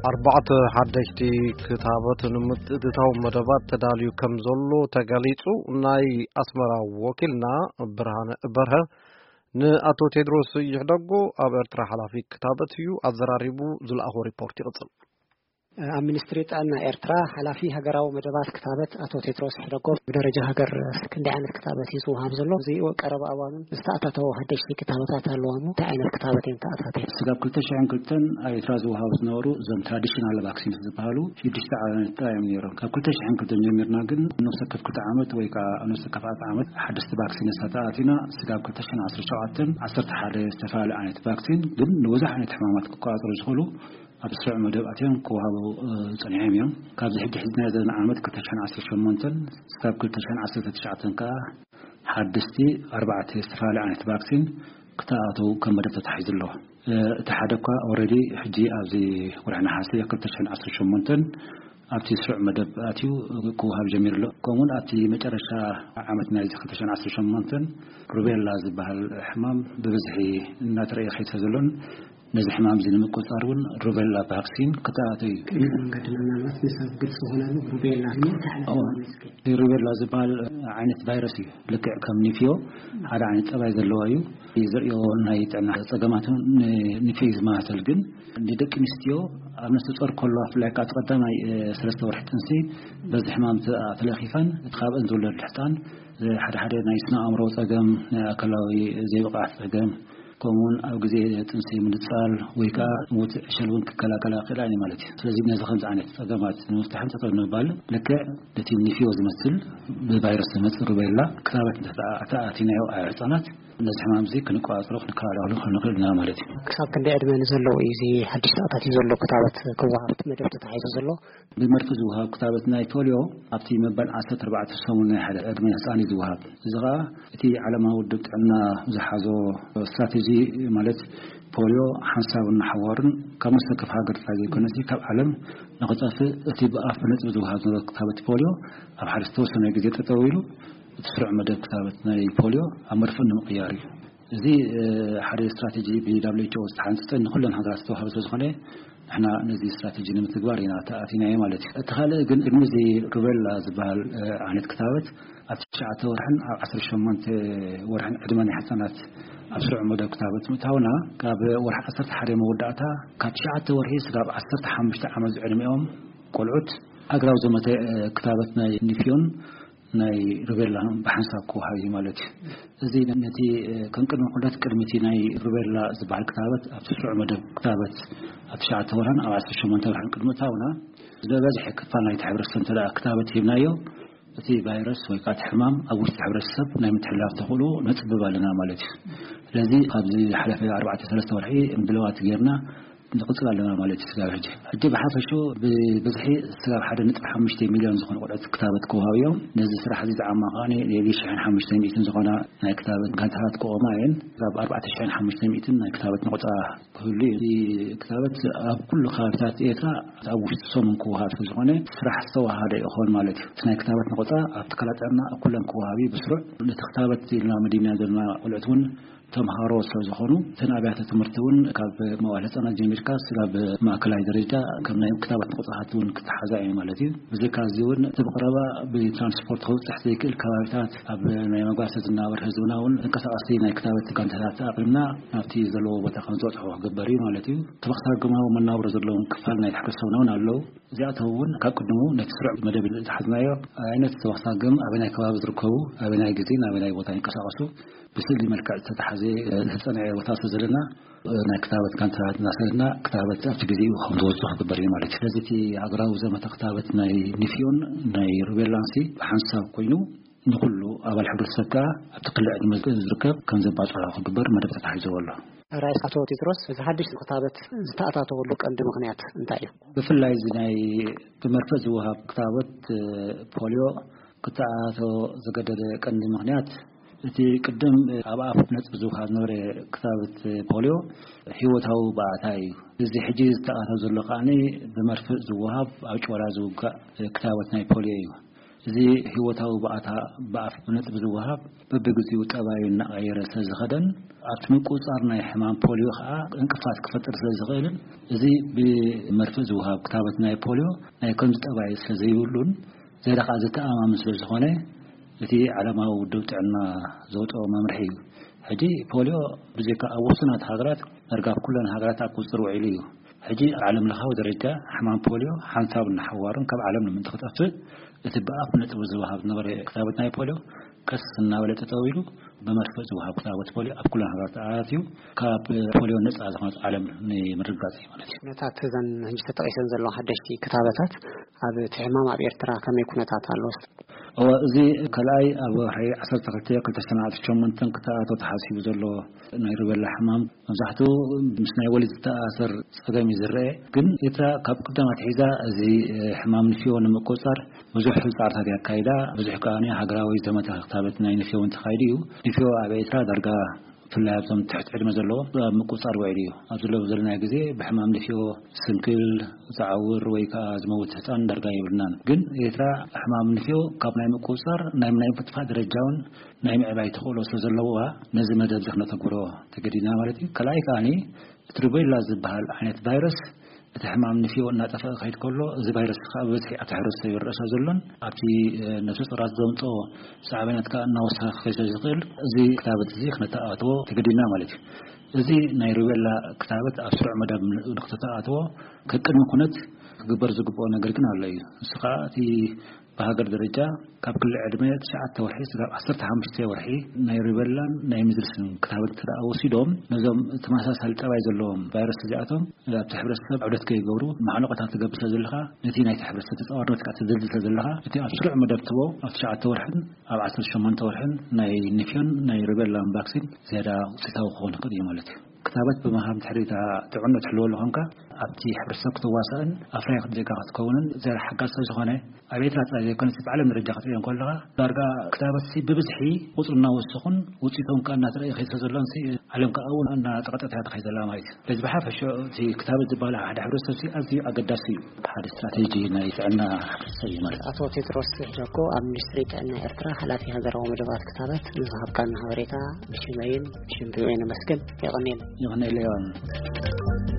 ኣርባዕተ ሓደሽቲ ክታበት ንምትእትታው መደባት ተዳልዩ ከም ዘሎ ተገሊጹ። ናይ ኣስመራ ወኪልና ብርሃነ በርሀ ንኣቶ ቴድሮስ ይሕደጎ፣ ኣብ ኤርትራ ሓላፊ ክታበት እዩ፣ ኣዘራሪቡ ዝለኣኾ ሪፖርት ይቕጽል። ኣብ ሚኒስትሪ ጥዕና ኤርትራ ሓላፊ ሃገራዊ መደባት ክታበት ኣቶ ቴድሮስ ሕደጎ፣ ብደረጃ ሃገር ክንደይ ዓይነት ክታበት እዩ ዝወሃብ ዘሎ? እዚ ቀረባ እዋን ዝተኣታተው ሓደሽቲ ክታበታት ኣለዋ እሞ እንታይ ዓይነት ክታበት እየን ተኣታትየን? ስጋብ ክልተ ሽሕን ክልተን ኣብ ኤርትራ ዝወሃቡ ዝነበሩ እዞም ትራዲሽናል ቫክሲንስ ዝበሃሉ ሽዱሽተ ዓይነት ጥራይ እዮም ነይሮም። ካብ ክልተ ሽሕን ክልተን ጀሚርና ግን ነፍሲ ወከፍ ክልተ ዓመት ወይ ከዓ ነፍሲ ወከፍ ኣርባዕተ ዓመት ሓደስቲ ቫክሲንስ ተኣቲና፣ ስጋብ ክልተ ሽሕን ዓሰርተ ሸውዓተን ዓሰርተ ሓደ ዝተፈላለዩ ዓይነት ቫክሲን ግን ንብዙሕ ዓይነት ሕማማት ክቆጻጸሩ ዝኽእሉ ኣብ ስሩዕ መደብ ኣትዮም ክወሃቡ፣ እ፣ ጸኒሖም እዮም። ካብዚ ሕጂ ሒዝና ዘለና ዓመት ክልተ ሽሕን ዓሰርተ ሸሞንተን ስጋብ ክልተ ሽሕን ዓሰርተ ትሽዓተን ከኣ ሓደስቲ ኣርባዕተ ዝተፈላለዩ ዓይነት ቫክሲን ክተኣታተው ከም መደብ ተታሒዙ ኣሎ። እ፣ እቲ ሓደ እኳ ኦልሬዲ ሕጂ ኣብዚ ወርሒ ነሓሰ ክልተ ሽሕን ዓሰርተ ሸሞንተን ኣብቲ ስሩዕ መደብ ኣትዩ ክወሃብ ጀሚሩ ኣሎ። ከምኡውን ኣብቲ መጨረሻ ዓመት ናይዚ ክልተ ሽሕን ዓሰርተ ሸሞንተን ሩቤላ ዝበሃል ሕማም ብብዝሒ እናተረእየ ከይድ ስለ ዘሎን ነዚ ሕማም እዚ ንምቁጽጻር እውን ሩቤላ ቫክሲን ክተኣታቶ እዩ። ቅድሚ መንገዲ ምናልባት ንሰብ ግልፂ ዝኾነሉ ሩቤላ እንታይ ዓይነት እዎ። ሕማም እዩ? እስኪ። ሩቤላ ዝበሃል ዓይነት ቫይረስ እዩ። ልክዕ ከም ኒፍዮ ሓደ ዓይነት ጸባይ ዘለዎ እዩ። ዘርእዮ ናይ ጥዕና ጸገማት እውን ንኒፍዮ እዩ ዝመሳሰል፣ ግን ንደቂ ኣንስትዮ ኣብ ነፍሲ ጾር ከለዋ፣ ብፍላይ ከዓ እቲ ቀዳማይ፣ እ፣ ሰለስተ ወርሒ ጥንሲ በዚ ሕማም ተ-፣ ተለኺፈን፣ እቲ ካብአን ዝውለድ ሕፃን፣ እ፣ ሓደ ሓደ ናይ ስነ ኣእምሮ ጸገም፣ ናይ ኣካላዊ ዘይብቕዓት ጸገም፣ ከምኡውን ኣብ ግዜ ጥንሲ ምንጻል ወይ ከዓ ሞት ዕሸል እውን ክከላከላ ይኽእላ እየን ማለት እዩ። ስለዚ ነዚ ከምዚ ዓይነት ጸገማት ንምፍታሕን ጠጠው ንምባል ልክዕ ነቲ ኒፍዮ ዝመስል ብቫይረስ ዝመጽእ ሩቤላ ክታበት እንተተኣ-፣ ተኣቲናዮ ኣብ ህጻናት ነዚ ሕማም እዚ ክንቆጻጸሮ ክንከላኸሎ ክንኽእል ኢና ማለት እዩ። ክሳብ ክንደይ ዕድመ ንዘለዉ እዩ እዚ ሓድሽ ተኣታትዩ ዘሎ ክታበት ክወሃብ መደብ ተታሒዙ ዘሎ? ብመርፍእ ዝወሃብ ክታበት ናይ ፖልዮ ኣብቲ መበል ዓሰርተ ኣርባዕተ ሰሙን ናይ ሓደ ዕድመ ህጻን እዩ ዝወሃብ። እዚ ኸኣ እቲ ዓለማዊ ውድብ ጥዕና ዝሓዞ ስትራቴጂ፣ ማለት ፖልዮ ሓንሳብን ሓዋሩን ካብ ነፍሲ ወከፍ ሃገር ጥራይ ዘይኮነሲ ካብ ዓለም ንኽጠፍእ እቲ ብኣፍ ብነጥቢ ዝወሃብ ዝነበረ ክታበት ፖልዮ ኣብ ሓደ ዝተወሰነ ግዜ ጠጠው ኢሉ እቲ ስሩዕ መደብ ክታበት ናይ ፖልዮ ኣብ መርፍእ ንምቕያር እዩ። እዚ፣ እ፣ ሓደ ስትራቴጂ ብ ደብሊው ኤች ኦ ዝተሓንጸጸ ንኹለን ሃገራት ዝተዋህበ ስለ ዝኾነ ንሕና ነዚ ስትራቴጂ ንምትግባር ኢና ተኣቲናዮ ማለት እዩ። እቲ ካልእ ግን ቅድሚ እዚ ሩቤላ ዝበሃል፣ እ፣ ዓይነት ክታበት ኣብ ትሽዓተ ወርሕን ኣብ ዓሰርተ ሸሞንተ ወርሕን ዕድመ ናይ ህጻናት ኣብ ስሩዕ መደብ ክታበት ምእታውና፣ ካብ ወርሒ ዓሰርተ ሓደ መወዳእታ ካብ ትሽዓተ ወርሒ ስጋብ ዓሰርተ ሓሙሽተ ዓመት ዝዕድሚኦም ቆልዑት ሃገራዊ ዘመተ፣ እ፣ ክታበት ናይ ኒፍዮን ናይ ሩቤላ ብሓንሳብ ክወሃብ እዩ ማለት እዩ። እዚ ነቲ፣ እ፣ ከም ቅድመ ኩነት ቅድሚ እቲ ናይ ሩቤላ ዝበሃል ክታበት ኣብ ስሩዕ መደብ ክታበት ኣብ ትሽዓተ ወርሕን ኣብ ዓሰርተ ሸሞንተ ወርሕን ቅድሚ እታውና ዝበዝሐ ክፋል ናይቲ ሕብረተሰብ እንተ ደኣ ክታበት ሂብናዮ፣ እቲ ቫይረስ ወይ ከዓ እቲ ሕማም ኣብ ውሽጢ ሕብረተሰብ ናይ ምትሕልላፍ ተኽእሎ ነጽብብ ኣለና ማለት እዩ። ስለዚ ኣብዚ ዝሓለፈ ኣርባዕተ ሰለስተ ወርሒ ምድላዋት ጌርና ንቕጽል ኣለና ማለት እዩ። ስጋብ ሕጂ፣ ሕጂ ብሓፈሽኡ ብብዝሒ ስጋብ ሓደ ነጥቢ ሓሙሽተ ሚልዮን ዝኾኑ ቆልዑት ክታበት ክወሃቡ እዮም። ነዚ ስራሕ እዚ ዝዓማ ከኣ ሸሕን ሓሙሽተ ሚእትን ዝኾና ናይ ክታበት ጋንታታት ክቆማ እየን። ስጋብ ኣርባዕተ ሸሕን ሓሙሽተ ሚእትን ናይ ክታበት ነቑጻ ክህሉ እዩ። እዚ ክታበት ኣብ ኩሉ ከባቢታት ኤርትራ ኣብ ውሽጢ ሰሙን ክወሃብ ስለ ዝኾነ ስራሕ ዝተዋሃደ ይኾን ማለት እዩ። እቲ ናይ ክታበት ነቑጻ ኣብ ትካላት ጥዕና ኩለን ክወሃብ እዩ ብስሩዕ። ነቲ ክታበት ኢልና መዲብና ዘለና ቆልዑት እውን ተምሃሮ ስለ ዝኾኑ፣ እተን ኣብያተ ትምህርቲ እውን ካብ መዋዕለ ህጻናት ጀሚርካ ስጋብ ማእከላይ ደረጃ ከም ናይ ክታበት ነቑጻታት እውን ክተሓዛ እየን ማለት እዩ። ብዘይካ እዚ እውን እቲ ብቐረባ ብትራንስፖርት ክብጽሕ ዘይክእል ከባቢታት ኣብ ናይ መጓሰ ዝናበር ህዝብና እውን ተንቀሳቐስቲ ናይ ክታበት ጋንታታት ኣቕሪብና ናብቲ ዘለዎ ቦታ ከም ዝበጽሑ ክግበር እዩ ማለት እዩ። ተበግሳግማዊ መናብሮ ዘለዎም ክፋል ናይ ሕብረተሰብና እውን ኣለዉ። እዚኣቶም እውን ካብ ቅድሙ ነቲ ስሩዕ መደብ ዝሓዝናዮ ዓይነት ተበግሳግም ኣበናይ ከባቢ ዝርከቡ፣ ኣበናይ ግዜን ኣበናይ ቦታ ይንቀሳቐሱ፣ ብስእሊ መልክዕ ዝተታሕዘ፣ እ፣ ዝተጸንዐ ቦታ ስለ ዘለና፣ እ፣ ናይ ክታበት ጋንታታት እናሰደድና ክታበት ኣብቲ ግዜኡ ከም ዝበጽሑ ክግበር እዩ ማለት እዩ። ስለዚ እቲ ሃገራዊ ዘመተ ክታበት ናይ ኒፍዮን ናይ ሩቤላንሲ ብሓንሳብ ኮይኑ ንኹሉ ኣባል ሕብረተሰብ ከኣ ኣብቲ ክሊ ዕድመ ዝርከብ ከም ዘባጽሖ ክግበር መደብ ተታሒዝዎ ኣሎ። ራእሲ ኣቶ ቴድሮስ፣ እዚ ሓድሽ ክታበት ዝተኣታተወሉ ቀንዲ ምኽንያት እንታይ እዩ? ብፍላይ እዚ ናይ ብመርፍእ ዝወሃብ ክታበት፣ እ፣ ፖልዮ ክተኣታቶ ዘገደደ ቀንዲ ምኽንያት፣ እቲ ቅድም ኣብ ኣፍ ነጥቢ ዝወሃብ ዝነበረ ክታበት ፖልዮ ህይወታዊ ባእታ እዩ። እዚ ሕጂ ዝተኣታቶ ዘሎ ከኣ ብመርፍእ ዝወሃብ ኣብ ጭወዳ ዝውጋእ ክታበት ናይ ፖልዮ እዩ። እዚ ህይወታዊ ብኣታ ብኣፍ ብነጥቢ ዝወሃብ በብግዜኡ ጠባዩ እናቐየረ ስለ ዝኸደን ኣብቲ ምቁጽጻር ናይ ሕማም ፖሊዮ ከዓ እንቅፋት ክፈጥር ስለ ዝኽእልን እዚ ብመርፍእ ዝወሃብ ክታበት ናይ ፖሊዮ ናይ ከምዚ ጠባይ ስለ ዘይብሉን ዝያዳ ከዓ ዘተኣማምን ስለ ዝኾነ እቲ ዓለማዊ ውድብ ጥዕና ዘውፅኦ መምርሒ እዩ። ሕጂ ፖሊዮ ብዘይካ ኣብ ውሱናት ሃገራት ዳርጋ ኣብ ኩለን ሃገራት ኣብ ቁፅፅር ውዒሉ እዩ። ሕጂ ኣብ ዓለም ለኻዊ ደረጃ ሕማም ፖሊዮ ሓንሳብ እናሓዋሩን ካብ ዓለም ንምእንቲ ክጠፍእ እቲ ብኣፍ ነጥቡ ዝወሃብ ዝነበረ ክታበት ናይ ፖሊዮ ቀስ እናበለ ጠጠው ኢሉ ብመርፍእ ዝወሃብ ክታበት ፖሊዮ ኣብ ኩለን ሃገራት ኣትዩ ካብ ፖሊዮ ነፃ ዝኾነት ዓለም ንምርጋፅ እዩ ማለት እዩ። ነታት እዘን ሕጂ ተጠቂሰን ዘለዋ ሓደሽቲ ክታበታት ኣብ እቲ ሕማም ኣብ ኤርትራ ከመይ ኩነታት ኣሎ? እወ፣ እዚ ካልኣይ ኣብ ወርሒ ዓሰርተ ክልተ ክልተ ሽሕን ዓሰርተ ሸሞንተን ክተኣትዎ ተሓሲቡ ዘሎ ናይ ሩቤላ ሕማም መብዛሕትኡ ምስ ናይ ወሊድ ዝተኣሳሰር ጸገም እዩ ዝረአ። ግን ኤርትራ ካብ ቅዳም ኣትሒዛ እዚ ሕማም ንፍዮ ንምቁጽጻር ብዙሕ ጻዕርታት እያ ኣካይዳ። ብዙሕ ከኣ ሃገራዊ ዘመተ ክታበት ናይ ንፍዮ እውን ተኻይዱ እዩ። ንፍዮ ኣብ ኤርትራ ዳርጋ ብፍላይ ኣብዞም ትሕቲ ዕድመ ዘለዎም ኣብ ምቁጽጻር ውዒሉ እዩ። ኣብ ዘለዉ ዘለና ግዜ ብሕማም ንፍዮ ስንክል፣ ዝዓውር ወይ ከኣ ዝመውት ህጻን ዳርጋ የብልናን። ግን ኤርትራ ሕማም ንፍዮ ካብ ናይ ምቁጽጻር ናይ ናይ ምጥፋእ ደረጃ እውን ናይ ምዕባይ ተኽእሎ ስለ ዘለዋ ነዚ መደብ እዚ ክነተግብሮ ተገዲድና ማለት እዩ። ካልኣይ ከኣ እቲ ሩቤላ ዝበሃል ዓይነት ቫይረስ እቲ ሕማም ንፍዮ እናጠፍአ ክኸይድ ከሎ እዚ ቫይረስ ከዓ ብብዝሒ ኣብቲ ሕብረተሰብ ይረአ ስለ ዘሎን ኣብቲ ነፍሰ ጡራት ዘምፅኦ ሳዕቤናት ከዓ እናወሰኸ ክኸይድ ስለ ዝኽእል እዚ ክታበት እዚ ክነተኣትዎ ተገዲድና ማለት እዩ። እዚ ናይ ሩቤላ ክታበት ኣብ ስሩዕ መደብ ንክተተኣትዎ ከቅድሚ ኩነት ክግበር ዝግብኦ ነገር ግን ኣሎ እዩ። ንሱ ከዓ እቲ ብሃገር ደረጃ ካብ ክሊ ዕድመ ትሽዓተ ወርሒ ስጋብ ዓሰርተ ሓሙሽተ ወርሒ ናይ ሩቤላን ናይ ሚዝልስን ክታበት እንተ ደኣ ወሲዶም ነዞም ተመሳሳሊ ጠባይ ዘለዎም ቫይረስ እዚኣቶም ኣብቲ ሕብረተሰብ ዕብደት ከይገብሩ ማዕለቆታት ትገብር ስለ ዘለኻ ነቲ ናይቲ ሕብረተሰብ ተጻዋርነት ከዓ ትድልድል ስለ ዘለኻ እቲ ኣብ ስሩዕ መደብ ትቦ ኣብ ትሽዓተ ወርሕን ኣብ ዓሰርተ ሸሞንተ ወርሕን ናይ ንፍዮን ናይ ሩቤላን ቫክሲን ዝያዳ ውፅኢታዊ ክኸውን ይኽእል እዩ ማለት እዩ። ክታበት ብምሃብ ድሕሪ እታ ጥዕና ትሕልወሉ ኮንካ ኣብቲ ሕብረተሰብ ክትዋሳእን ኣፍራይ ዜጋ ክትከውንን ዝያዳ ሓጋዚ ስለ ዝኾነ ኣብ ኤርትራ ጥራይ ዘይኮነስ ብዓለም ደረጃ ክትሪኦ እንከለኻ ዳርጋ ክታበት ብብዝሒ ቁፅሩ እናወሰኹን ውፅኢቶም ከዓ እናተረእየ ከይድ ስለ ዘሎን ዓለም ከዓ እውን እናጠቐጠት እያ ትኸይድ ዘላ ማለት እዩ። ስለዚ ብሓፈሽኡ እቲ ክታበት ዝበሃል ሓደ ሕብረተሰብ ኣዝዩ ኣገዳሲ እዩ። ሓደ ስትራቴጂ ናይ ጥዕና ሕብረተሰብ እዩ ማለት እዩ። ኣቶ ቴድሮስ ጃኮ ኣብ ሚኒስትሪ ጥዕና ኤርትራ ሓላፊ ሃገራዊ መደባት ክታበት ንዝሃብካና ሓበሬታ ብሽመይን ብሽም ቪኦኤ ነመስግን። የቐንየልና። የቐንየልና ዮሃን።